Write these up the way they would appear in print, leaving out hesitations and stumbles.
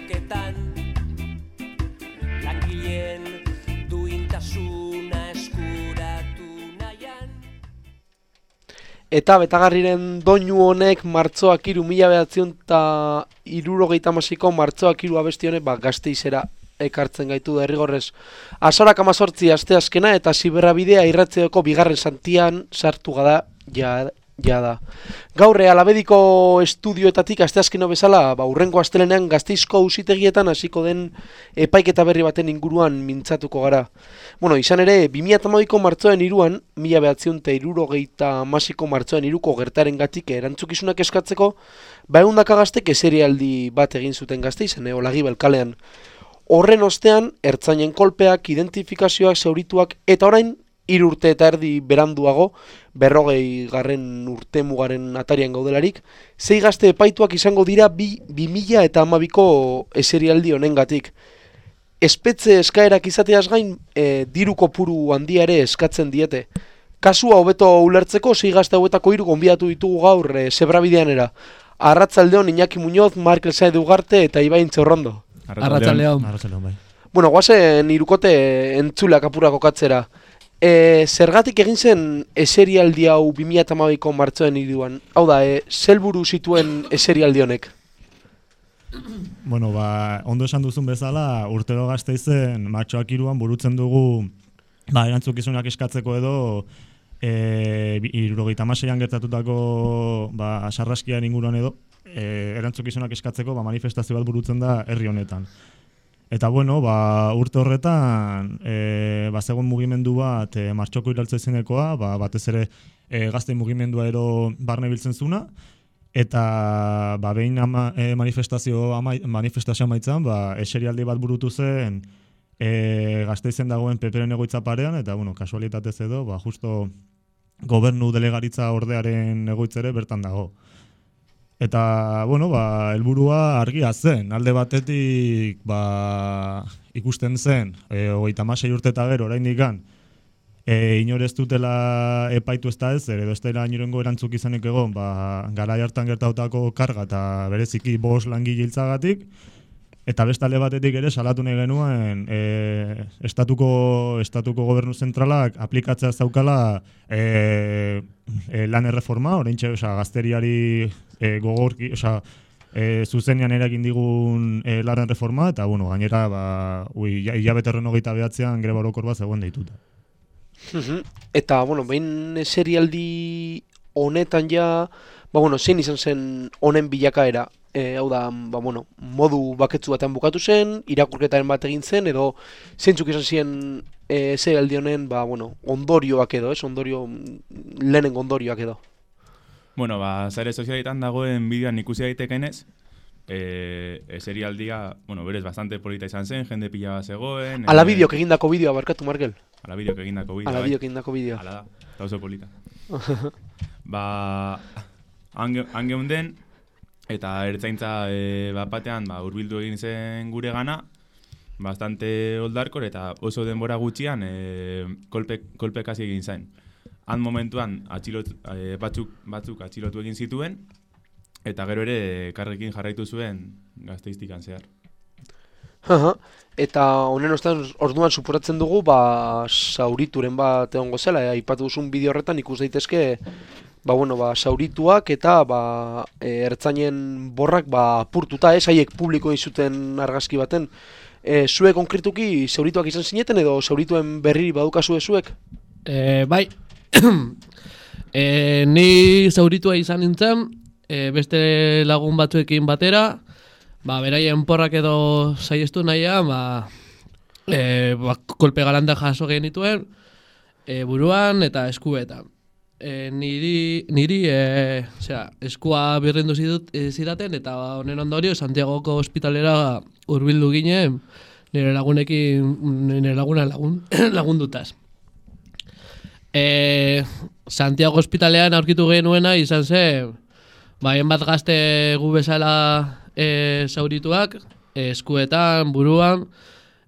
borroketan, langileen duintasuna eskuratu nahian. Eta betagarriren doinu honek martxoak 1976ko martxoak 3 abesti honek Gasteizera ekartzen gaitu derrigorrez. Azarak 18 asteazkena eta Ziberrabidea irratzeoko bigarren santian sartu gada jada. Gaur Alabediko estudioetatik asteazkeno bezala, hurrengo astelenean Gasteizko auzitegietan hasiko den epaiketa berri baten inguruan mintzatuko gara. Izan ere, 2012ko martxoaren 3an, 1976ko martxoaren 3ko gertarengatik erantzukizunak eskatzeko, 100 gaztek eserialdi bat egin zuten Gasteizen, Olagibel kalean. Horren ostean, ertzainen kolpeak, identifikazioak, zaurituak, eta orain, 3 urte eta erdi beranduago, 40. urte mugaren atarian gaudelarik, 6 gazte epaituak izango dira 2012ko eserialdi honengatik. Espetxe eskaerak izateaz gain, diru kopuru handia ere eskatzen diete. Kasua hobeto ulertzeko, 6 gazte hauetako 3 gonbidatu ditugu gaur Zebrabideanera. Arratzaldeon Iñaki Muñoz, Markel Saez de Ugarte eta Ibain Txorrondo. Arratzaldeon, bai. Guazen irukote entzuleak apura kokatzera. Zergatik egin zen eserialdi hau 2012ko martxoaren 3an? Hau da, zelburu zituen eserialdi honek? Ondo esan duzun bezala, urtero Gasteizen martxoak 3an burutzen dugu erantzukizunak eskatzeko edo 76an gertatutako sarraskiaren inguruan edo erantzukizunak eskatzeko manifestazio bat burutzen da herri honetan. Eta urte horretan zegoen mugimendu bat martxoko iraltze izenekoa, batez ere gazte mugimendua ero barne biltzen zuna, eta behin manifestazio amaitzan, eserialdi bat burutu zen Gasteizen dagoen PPren egoitza parean, eta kasualitatez edo, justo gobernu delegaritza ordearen egoitzere bertan dago. Eta, helburua argia zen. Alde batetik, ikusten zen, 36 urte eta gero, oraindik inor ez dutela epaitu ez da ezer, edo ez dela inorengo erantzuk izanik egon, garai hartan gertautako karga eta bereziki 5 langile hiltzagatik, eta beste alde batetik ere salatu nahi genuen estatuko gobernu zentralak aplikatzea zaukala lan erreforma, oraintxe gazteriari gogorki, zuzenean eragin digun lan erreforma, eta gainera hilabete 29an greba orokor bat zegoen deituta. Eta, behin serialdi honetan ja, zein izan zen honen bilakaera? Hau da, modu baketsu batean bukatu zen, irakurketaren bat egin zen, edo zeintzuk izan ziren serialdi honen, ondorioak edo, lehenengo ondorioak edo. Sare sozialetan dagoen bideoan ikusi daitekenez, serialdia, berez bastante polita izan zen, jende pila bat zegoen. Ala bideok egindako bideoa, barkatu, Markel. Ala bideok egindako bideoa. Ala bideok egindako bideoa. Ala da, eta oso polita. Han geunden, eta ertzaintza batean hurbildu egin zen gure gana, bastante oldarkor eta oso denbora gutxian kolpek hasi egin zen. Han momentuan batzuk atxilotu egin zituen, eta gero ere karrekin jarraitu zuen Gasteiztikan zehar. Eta honen orduan suporatzen dugu, zaurituren bat egongo zela, aipatu duzun bideo horretan ikus daitezke, zaurituak eta ertzainen borrak apurtuta, haiek publiko izuten argazki baten. Zuek konkretuki zaurituak izan zineten edo zaurituen berri badukazue zuek? Bai, ni zauritua izan nintzen, beste lagun batzuekin batera, beraien porrak edo saiestu nahian, kolpe galanda jaso genituen, buruan eta eskuetan. Niri eskua birrindu zidaten eta honen ondorio Santiagoko ospitalera hurbildu ginen nire laguna lagundutaz. Santiago ospitalean aurkitu genuena izan zen hainbat gazte gu bezala zaurituak, eskuetan, buruan,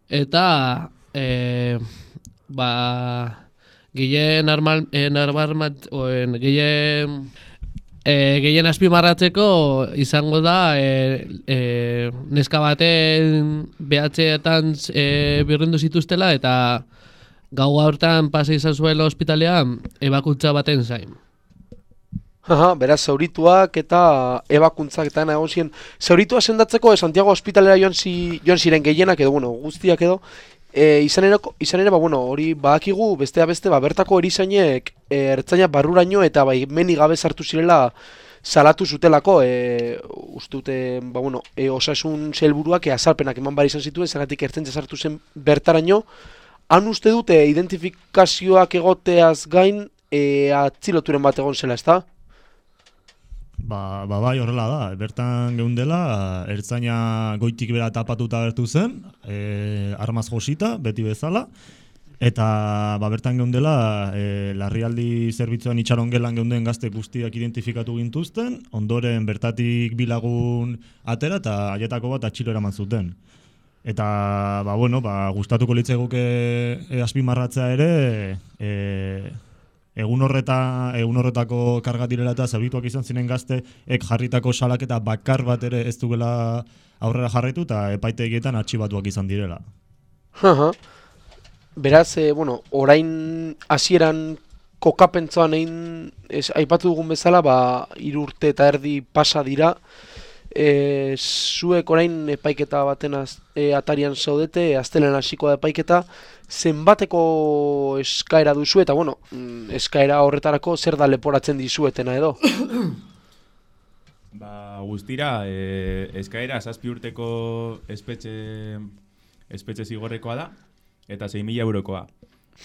eta Gehien gehien azpimarratzeko izango da neska baten BH-etan birrindu zituztela eta gau hortan pasa izan zuela ospitalean ebakuntza baten zain. Aha, beraz, zaurituak eta ebakuntzak eta nahi zien. Zauritua sendatzeko Santiago ospitalera joan ziren gehienak edo, bueno, guztiak edo, izan ere, bueno, hori badakigu, besteak beste, bertako erizainek ertzaina barruraino eta meni gabe sartu zirela salatu zutelako, ustute, bueno, osasun sailburuak azalpenak eman bar izan zituen, zergatik ertzaintza sartu zen bertaraino. Han uste dute identifikazioak egoteaz gain atziloturen bat egon zela, ezta? Bai, horrela da. Bertan geundela, ertzaina goitik bera tapatuta bertu zen, armaz josita, beti bezala, eta bertan geundela, larrialdi zerbitzuan itxaron gelan geunden gazte guztiak identifikatu gintuzten, ondoren bertatik bilagun atera eta haietako bat atxilo eraman zuten. Eta, gustatuko litzaiguke azpimarratzea ere, egun horretako karga direla eta zaurituak izan ziren gazteek jarritako salaketa bakar bat ere ez dugula aurrera jarraitu eta epaitegietan artxibatuak izan direla. Beraz, orain hasieran kokapentzoan aipatu dugun bezala, 3 urte eta erdi pasa dira, zuek orain epaiketa baten atarian zaudete, astelen hasiko da epaiketa, zenbateko eskaera duzu eta, eskaera horretarako zer da leporatzen dizuetena edo? Guztira, eskaera 7 urteko espetxe zigorrekoa da, eta 6.000 eurokoa.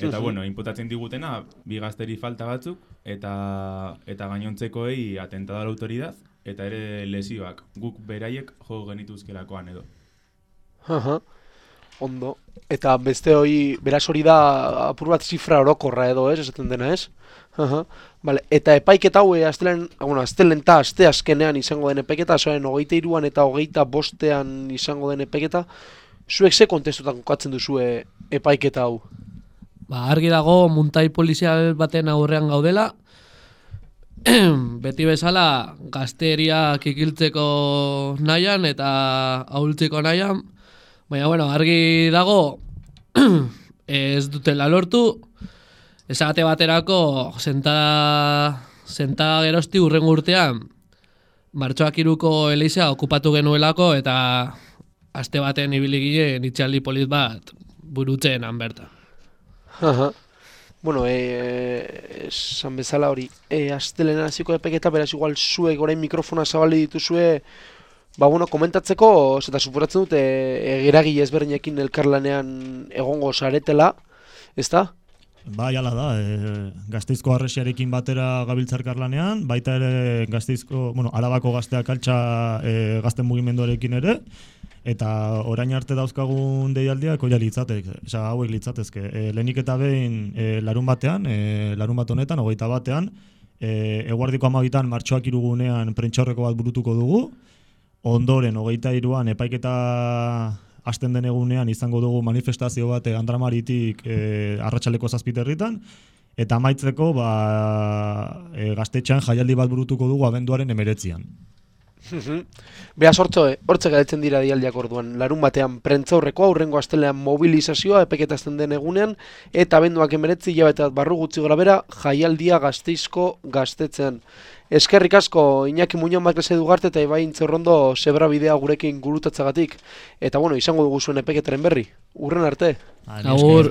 Eta, inputatzen digutena, 2 gazteri falta batzuk, eta gainontzekoei atentada a la autoridad, eta ere lesioak guk beraiek jo genituzkelakoan edo. Ondo. Eta beste hori, beraz hori da apur bat zifra orokorra edo, esaten dena, ez? Vale. Eta epaiketa hau astelen eta aste azkenean izango den epaiketa, zoen 23an eta 25ean izango den epaiketa, zuek ze kontestutan kokatzen duzue epaiketa hau? Argi dago muntai polizial baten aurrean gaudela, beti bezala gazteriak ikiltzeko nahian eta ahultzeko nahian, baina argi dago ez dutela lortu, esagate baterako sentada gerozti hurrengo urtean martxoak 3ko elizea okupatu genuelako eta aste baten ibili ginen itxaldi polit bat burutzen bertan. Esan bezala hori, astelena hasiko epaiketa, beraz igual zuek orain mikrofona zabali dituzue, komentatzeko, eta suporatzen dute eragile ezberdinekin elkarlanean egongo saretela, ezta? Bai, hala da, Gasteizko Harresiarekin batera gabiltza elkarlanean, baita ere Arabako Gazteak altxa gazten mugimenduarekin ere, eta orain arte dauzkagun deialdiak hauek litzatezke. Lehenik eta behin larun bat honetan, 21ean, eguardiko 12ean martxoak 3 gunean prentsaurreko bat burutuko dugu, ondoren 23an epaiketa hasten den egunean izango dugu manifestazio bat Andramaritik arratsaldeko 7 eta amaitzeko gaztetxean jaialdi bat burutuko dugu abenduaren 19an. Beaz hortze galetzen dira dialdiak orduan, larun batean prentzaurrekoa, hurrengo astelean mobilizazioa epeketazten den egunean, eta abenduak 19 hilabete barru gutxi gora bera jaialdia Gasteizko gaztetzean. Eskerrik asko Iñaki Muñoz Makrese Dugarte eta Ibai Intzerrondo zebra bidea gurekin gurutatzagatik, eta izango dugu zuen epeketaren berri. Urren arte. Agur.